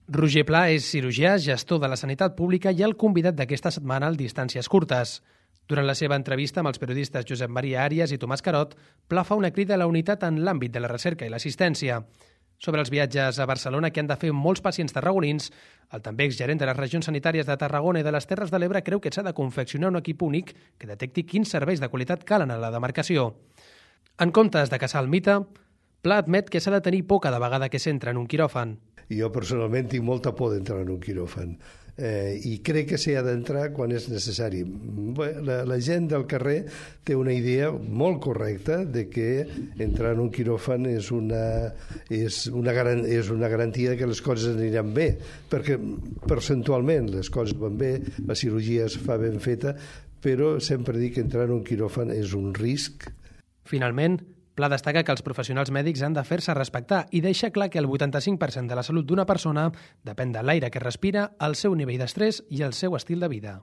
Roger Pla és cirurgià, gestor de la sanitat pública i el convidat d'aquesta setmana al Distàncies Curtes. Durant la seva entrevista amb els periodistes Josep Maria Àrias i Tomàs Carot, Pla fa una crida a la unitat en l'àmbit de la recerca i l'assistència. Sobre els viatges a Barcelona que han de fer molts pacients tarragonins, el també exgerent de les regions sanitàries de Tarragona i de les Terres de l'Ebre creu que s'ha de confeccionar un equip únic que detecti quins serveis de qualitat calen a la demarcació. En comptes de caçar el mite, Pla admet que s'ha de tenir por cada vegada que s'entra en un quiròfan. Jo personalment tinc molta por d'entrar en un quiròfan i crec que s'hi ha d'entrar quan és necessari. La gent del carrer té una idea molt correcta de que entrar en un quiròfan és una garantia que les coses aniran bé, perquè percentualment les coses van bé, la cirurgia es fa ben feta, però sempre dic que entrar en un quiròfan és un risc. Finalment, Pla destaca que els professionals mèdics han de fer-se respectar i deixa clar que el 85% de la salut d'una persona depèn de l'aire que respira, el seu nivell d'estrès i el seu estil de vida.